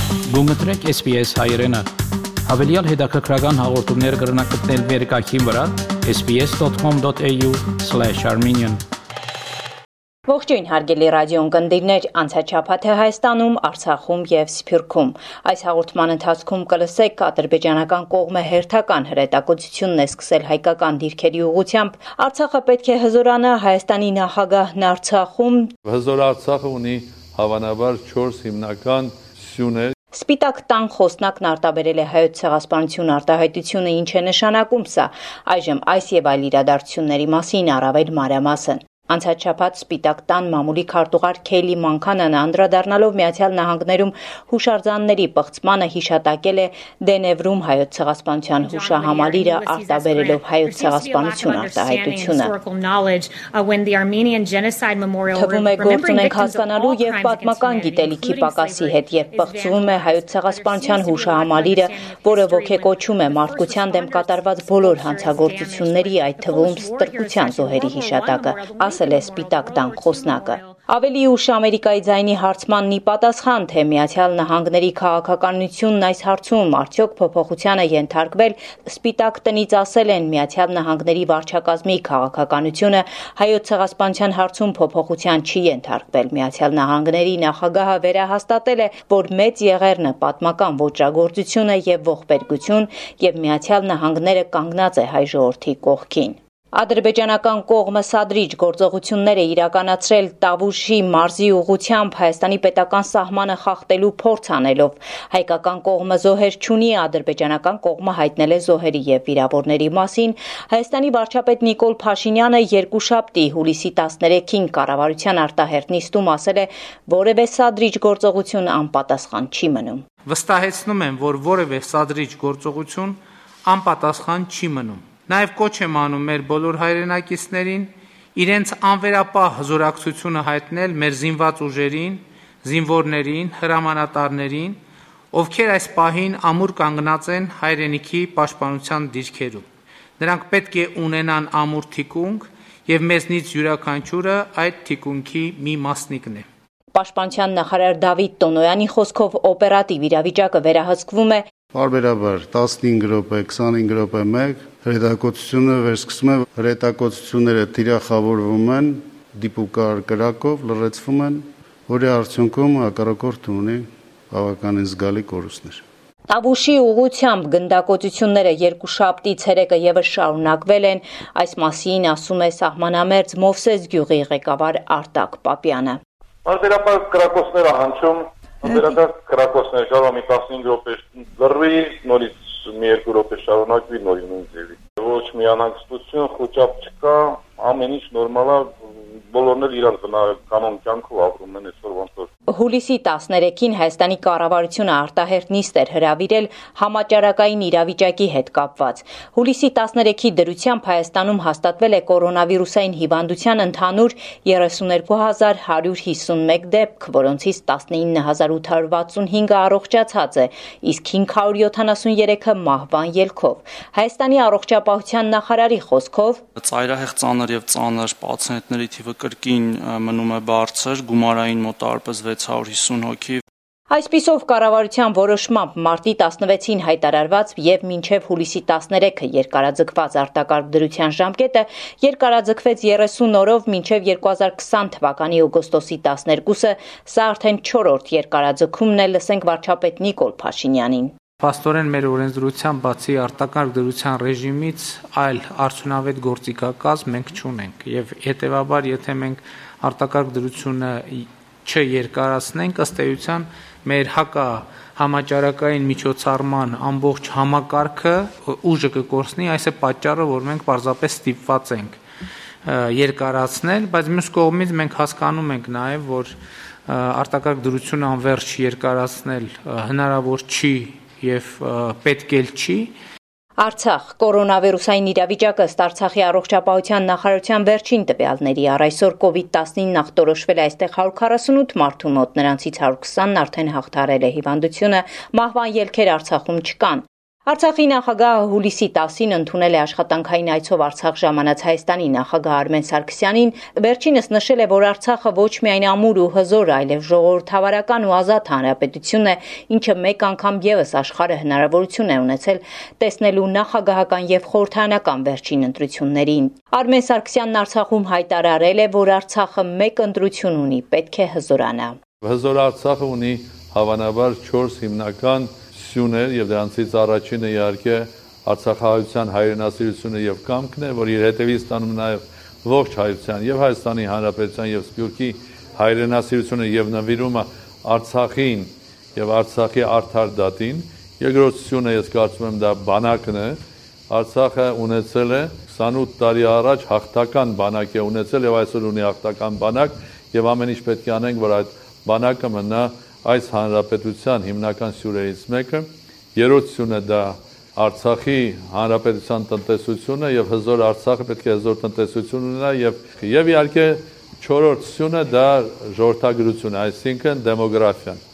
Գումտրեք SPS հայրենը, հավելյալ հետաքրքրական հաղորդումներ կգրնակցնել վերկայքին վրա sbs.com.au/armenian Ողջույն հարգելի ռադիոընկերներ, անցաչափաթը Հայաստանում, Արցախում եւ Սփյուռքում։ Այս հաղորդման ընթացքում կլսեք ադրբեջանական կողմը հերթական հրետակոծությունն է սկսել հայկական դիրքերի ուղղությամբ։ Արցախը պետք է հզորանա, Հայաստանի նախագահն Արցախում Հզոր Արցախը ունի հավանաբար 4 հիմնական սյուներ։ Սպիտակ տան խոսնակն արտաբերել է Հայոց ցեղասպանություն արտահայտությունը, ինչ է նշանակում սա։ Այժմ այս եւ այլ իրադարձությունների մասին առավել մանրամասն։ Անցած շաբաթ Սպիտակ տան մամուլի քարտուղար Քեյլի Մանքանան անդրադառնալով Միացյալ Նահանգներում հուշարձանների պղծմանը հիշատակել է Դենևրում Հայոց ցեղասպանության հուշահամալիրը արտաբերելով Հայոց ցեղասպանություն արտահայտությունը։ Թվում է գործ ունենք հասկանալու եւ պատմական գիտելիքի պակասի հետ եւ պղծվում է Հայոց ցեղասպանության հուշահամալիրը, որը ոգեկոչում է մարդկության դեմ կատարված բոլոր հանցագործությունների, այդ թվում ստրկության զոհերի հիշատակը։ Ասել է Սպիտակ տան խոսնակը։ Ավելի ուշ Ամերիկայի ձայնի հարցմանն ի պատասխան, թե Միացյալ Նահանգների քաղաքականությունն այս հարցում արդյոք փոփոխության է ենթարկվել, Սպիտակ տնից ասել են Միացյալ Նահանգների վարչակազմի քաղաքականությունը Հայոց ցեղասպանության հարցում փոփոխության չի ենթարկվել։ Միացյալ Նահանգների նախագահը վերահաստատել է, որ մեծ եղերն է պատմական ոճրագործություն է եւ ողբերգություն, եւ Միացյալ Նահանգները կանգնած է հայ ժողովրդի կողքին։ Ադրբեջանական կողմը սադրիչ գործողություններ է իրականացրել Տավուշի մարզի ուղղությամբ Հայաստանի պետական սահմանը խախտելու փորձ անելով։ Հայկական կողմը զոհեր չունի, ադրբեջանական կողմը հայտնել է զոհերի եւ վիրավորների մասին։ Հայաստանի վարչապետ Նիկոլ Փաշինյանը երկուշաբթի հուլիսի 13-ին կառավարության արտահերթ նիստում ասել է, որևէ սադրիչ գործողություն անպատասխան չի մնում։ Վստահեցնում եմ, որ որևէ սադրիչ գործողություն անպատասխան չի մնում։ Նաև կոչ եմ անում մեր բոլոր հայրենակիցներին իրենց անվերապահ հզորակցությունը հայտնել մեր զինված ուժերին, զինվորներին, հրամանատարներին, ովքեր այս պահին ամուր կանգնած են հայրենիքի պաշտպանության դիրքերում։ Նրանք պետք է ունենան ամուր թիկունք, եւ մեզնից յուրաքանչյուրը այդ թիկունքի մի մասնիկն է։ Պաշտպանության նախարար Դավիթ Տոնոյանի խոսքով օպերատիվ իրավիճակը վերահսկվում է Բարբերաբար 15 րոպե, 25 րոպե մեկ հրետակոծությունը վերսկսում է, հրետակոծությունները թիրախավորվում են, դիպուկար կրակով լրացվում են, որի արդյունքում հակառակորդը ունի բավականին զգալի կորուստներ։ Տավուշի ուղղությամբ գնդակոծությունները երկուշաբթի ցերեկը եւս շարունակվել են, այս մասին ասում է սահմանամերձ Մովսես գյուղի ղեկավար Արտակ Պապյանը։ Բարբերաբար կրակոցները հնչում Վերադարձ կրակոցներ կարող մի 15 րոպե լրվի, նորից մի 2 րոպե շարունակվի, նորից նույն ձևի։ Ոչ մի անհանգստություն, խոճապ չկա, ամեն ինչ նորմալ է, բոլորն էլ իրար կանոն կյանքով ապրում են այսօր ոնց որ։ Հուլիսի 13-ին Հայաստանի կառավարությունը արտահերթ նիստ էր հրավիրել համաճարակային իրավիճակի հետ կապված։ Հուլիսի 13-ի դրությամբ Հայաստանում հաստատվել է կորոնավիրուսային հիվանդության ընդհանուր 32151 դեպք, որոնցից 19865-ը առողջացած է, իսկ 573-ը մահվան ելքով։ Հայաստանի առողջապահության նախարարի խոսքով ծայրահեղ ծանր եւ ծանր պացիենտների թիվը կրկին մնում է բարձր, գումարային մոտավորապես 650 հոգի։ Այսպիսով կառավարության որոշմամբ մարտի 16-ին հայտարարված եւ մինչեւ հուլիսի 13-ը երկարաձգված արտակարգ դրության ժամկետը երկարաձգվեց 30 օրով մինչեւ 2020 թվականի օգոստոսի 12-ը, սա արդեն 4-րդ երկարաձգումն է, լսենք վարչապետ Նիկոլ Փաշինյանին։ Փաստորեն մեր օրենսդրությամբ բացի արտակարգ դրության ռեժիմից այլ արդյունավետ գործիքակազմ մենք չունենք եւ հետեւաբար եթե մենք արտակարգ դրությունը չերկարացնենք ըստ էության մեր համաճարակային միջոցառման ամբողջ համակարգը ուժը կկորցնի, այս է պատճառը, որ մենք պարզապես ստիպված ենք երկարացնել, բայց մյուս կողմից մենք հասկանում ենք նաև, որ արտակարգ դրությունը անվերջ երկարացնել հնարավոր չի եւ պետք էլ չի։ Արցախ կորոնավիրուսային իրավիճակը ըստ Արցախի առողջապահության նախարարության վերջին տվյալների առայսօր COVID-19 ախտորոշվել է այստեղ 148 մարդու մոտ, նրանցից 120-ն արդեն հաղթահարել է հիվանդությունը, մահվան ելքեր Արցախում չկան։ Արցախի նախագահը հուլիսի 10-ին ընդունել է աշխատանքային այցով Արցախ ժամանած Հայաստանի նախագահ Արմեն Սարգսյանին, վերջինս նշել է, որ Արցախը ոչ միայն ամուր ու հզոր, այլև ժողովրդավարական ու ազատ հանրապետություն է, ինչը մեկ անգամ եւս աշխարհը հնարավորություն է ունեցել տեսնելու նախագահական եւ խորհրդարանական վերջին ընտրություններին։ Արմեն Սարգսյանն Արցախում հայտարարել է, որ Արցախը մեկ ընտրություն ունի, պետք է հզորանա։ Հզոր Արցախը ունի հավանաբար 4 հիմնական սյուներ եւ դրանցից առաջինը իհարկե Արցախահայության հայրենասիրությունը եւ կամքն է, որ իր հետևից ստանում նաեւ ողջ հայության եւ Հայաստանի Հանրապետության եւ Սփյուռքի հայրենասիրությունը եւ նվիրումը Արցախին եւ Արցախի արդար դատին։ Երկրորդ սյունը ես կարծում եմ դա բանակն է։ Արցախը ունեցել է 28 տարի առաջ հաղթական բանակ է ունեցել եւ այսօր ունի հաղթական բանակ եւ ամեն ինչ պետք է անենք, որ այդ բանակը մնա այս հանրապետության հիմնական սյուրերից մեկը։ Երրորդ սյունը դա Արցախի հանրապետության տնտեսությունը եւ հզոր Արցախը պետք է հզոր տնտեսություն ունենա եւ իհարկե չորրորդ սյունը դա ժողովրդագրությունը, այսինքն դեմոգրաֆիան։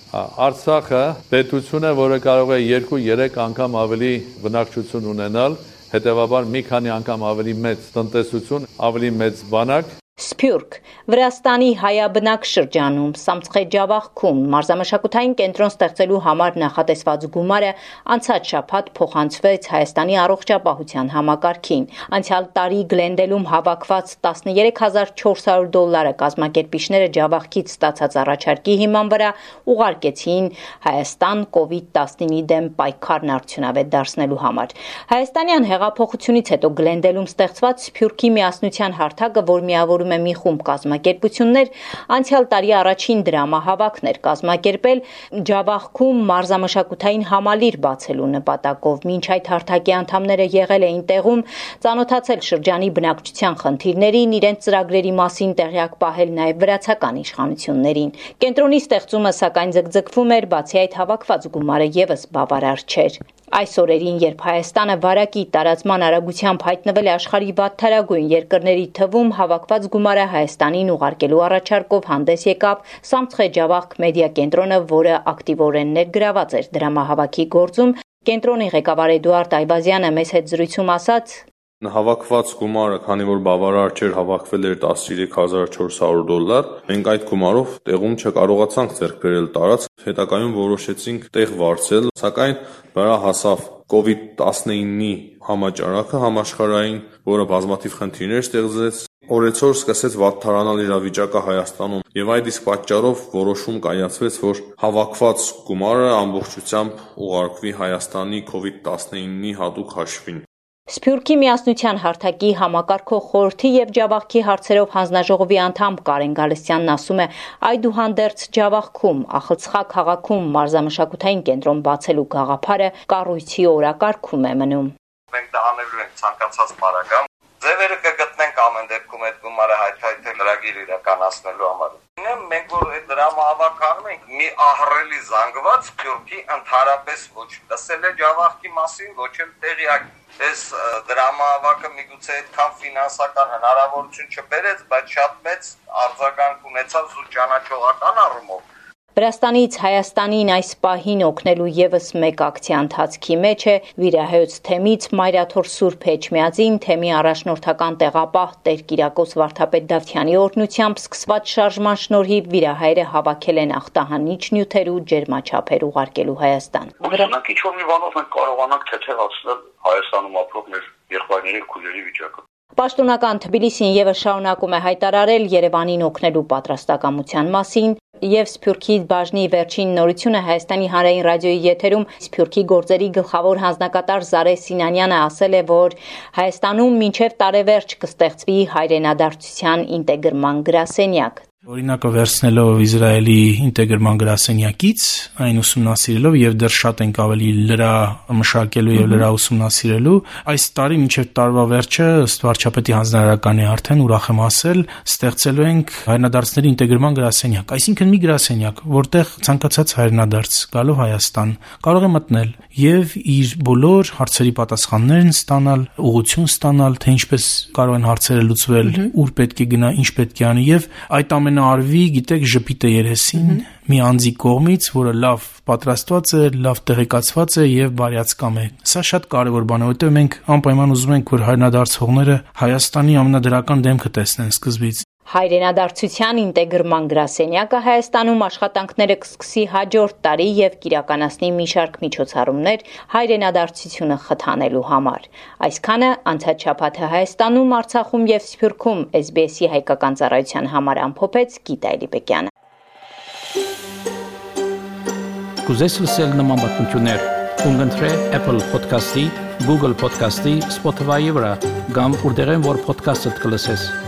Արցախը պետություն է, որը կարող է 2-3 անգամ ավելի բնակչություն ունենալ, հետեւաբար մի քանի անգամ ավելի մեծ տնտեսություն, ավելի մեծ բանակ։ Սփյուռք Վրաստանի հայաբնակ շրջանում Սամցխե-Ջավախքում մարզամշակութային կենտրոն ստեղծելու համար նախատեսված գումարը անցած շաբաթ փոխանցվեց Հայաստանի առողջապահության համակարգին։ Անցյալ տարի Գլենդելում հավաքված $13400 կազմակերպիչները Ջավախքից ստացած առաջարկի հիման վրա ուղարկեցին Հայաստան COVID-19-ի դեմ պայքարն արդյունավետ դարձնելու համար։ Հայաստանյան հեղափոխությունից հետո Գլենդելում ստեղծված Սփյուռքի միասնության հարթակը, որ միավորում է մի խումբ կազմակերպություններ, անցյալ տարի առաջին դրամահավաքներ կազմակերպել Ջավախքում մարզամշակութային համալիր բացելու նպատակով։ Մինչ այդ հարթակի անդամները եղել էին տեղում, ծանոթացել շրջանի բնակչության խնդիրներին, իրենց ծրագրերի մասին տեղյակ պահել նաև վրացական իշխանություններին։ Կենտրոնի ստեղծումը սակայն ձգձգվում էր, բացի այդ հավաքված գումարը եւս բավարար չէր։ Այս օրերին, երբ Հայաստանը վարակի տարածման արագությամբ հայտնվել է աշխարհի վատթարագույն երկրների թվում, հավաքված գումարը Հայաստանին ուղարկելու առաջարկով հանդես եկավ Սամցխե-Ջավախք մեդիա կենտրոնը, որը ակտիվորեն ներգրաված էր դրամահավաքի գործում։ Կենտրոնի ղեկավար Էդուարդ Այվազյանը մեծ հետ զրույցում ասաց. Հավաքված գումարը, քանի որ բավարար չէր, հավաքվել էր $13400, մենք այդ գումարով տեղում չկարողացանք ձեռք բերել տարածք, հետագայում որոշեցինք տեղ վարձել, սակայն վրա հասավ COVID-19-ի համաճարակը համաշխարհային, որը բազմաթիվ խնդիրներ ստեղծեց, օրեցօր սկսեց վատթարանալ իրավիճակը Հայաստանում եւ այդ իսկ պատճառով որոշում կայացվեց, որ հավաքված գումարը ամբողջությամբ ուղարկվի Հայաստանի COVID-19-ի հատուկ հաշվին։ Սփյուռքի միասնության հարթակի համակարգող խորհրդի եւ Ջավախքի հարցերով հանձնաժողովի անդամ Կարեն Գալստյանն ասում է, այդուհանդերձ Ջավախքում Ախալցխա քաղաքում մարզամշակութային կենտրոն բացելու գաղափարը կառույցի օրակարգում է մնում։ Մենք դա անելու ենք ցանկացած բարակամ։ Ձևերը կգտնենք ամեն դեպքում այդ գումարը հայթայթել լրագիր իրականացնելու համար։ Մենք որ այդ դրամահավաքանում ենք մի ահռելի զանգված Սփյուռքի ընդհանրապես ոչ լսել է Ջավախքի մասին, ոչ էլ տեղյակ։ Այս դրամահավաքը միգուցե այդքան ֆինանսական հնարավորություն չբերեց, բայց շատ մեծ արձագանք ունեցավ զուտ ճանաչողական առումով։ Վրաստանից Հայաստանին այս պահին օգնելու եւս մեկ ակցիա ընթացքի մեջ է Վիրահայոց թեմից Մայրաթոր Սուրբ Էջմիածին թեմի առաջնորդական տեղապահ Տեր Կիրակոս Վարդապետ Դավթյանի օրհնությամբ սկսված շարժման շնորհիվ վիրահայերը հավաքել են ախտահանիչ նյութեր ու ջերմաչափեր ուղարկելու Հայաստան։ Ուրեմն ինչ որ մի բանով մենք կարողանանք թեթևացնել Հայաստանում ապրող մեր եղբայրների ու քույրերի վիճակը։ Պաշտոնական Թբիլիսին եւս շարունակում է հայտարարել Երևանին օգնելու պատրաստակամության մասին եւ Սփյուռքի բաժնի վերջին նորությունը Հայաստանի հանրային ռադիոյի եթերում Սփյուռքի գործերի գլխավոր հանձնակատար Զարե Սինանյանը ասել է, որ Հայաստանում մինչեւ տարեվերջ կստեղծվի հայրենադարձության ինտեգրման գրասենյակ։ Օրինակը վերցնելով Իսրայելի ինտեգրման գրասենյակից, այն ուսումնասիրելով եւ դեռ շատ ենք ավելի լրա մշակելու եւ լրա ուսումնասիրելու, այս տարի մինչեւ տարվա վերջը ըստ վարչապետի հանձնարարականի արդեն ուրախ եմ ասել, ստեղծելու ենք հայրենադարձների ինտեգրման գրասենյակ, այսինքն մի գրասենյակ, որտեղ ցանկացած հայրենադարձ գալով Հայաստան կարող է մտնել եւ իր բոլոր հարցերի պատասխաններն ստանալ, ուղղություն ստանալ, թե ինչպես կարող են հարցերը լուծվել, ուր պետք է գնա, ինչ պետք է անի եւ այդ ամենը կհնարվի, գիտեք, ժպիտը երեսին մի անձի կողմից, որը լավ պատրաստված է, լավ տեղեկացված է եւ բարյացկամ է։ Սա շատ կարեւոր բան է, որովհետեւ մենք անպայման ուզում ենք, որ հայրենադարձողները Հայաստանի ամենադրական դեմքը տեսնեն սկզբից։ Հայրենադարձության ինտեգրման գրասենյակը Հայաստանում աշխատանքները կսկսի հաջորդ տարի եւ կիրականացնի մի շարք միջոցառումներ հայրենադարձությունը խթանելու համար։ Այսքանը անցած շաբաթը Հայաստանում, Արցախում եւ Սփյուռքում SBS-ի հայկական ծառայության համար ամփոփեց Գիտա Էլիբեկյանը։ Կուզես լսել նման բանություններ, կընտրե Apple Podcast-ի, Google Podcast-ի, Spotify-ի վրա, կամ որտեղեն որ podcast-ը կլսես։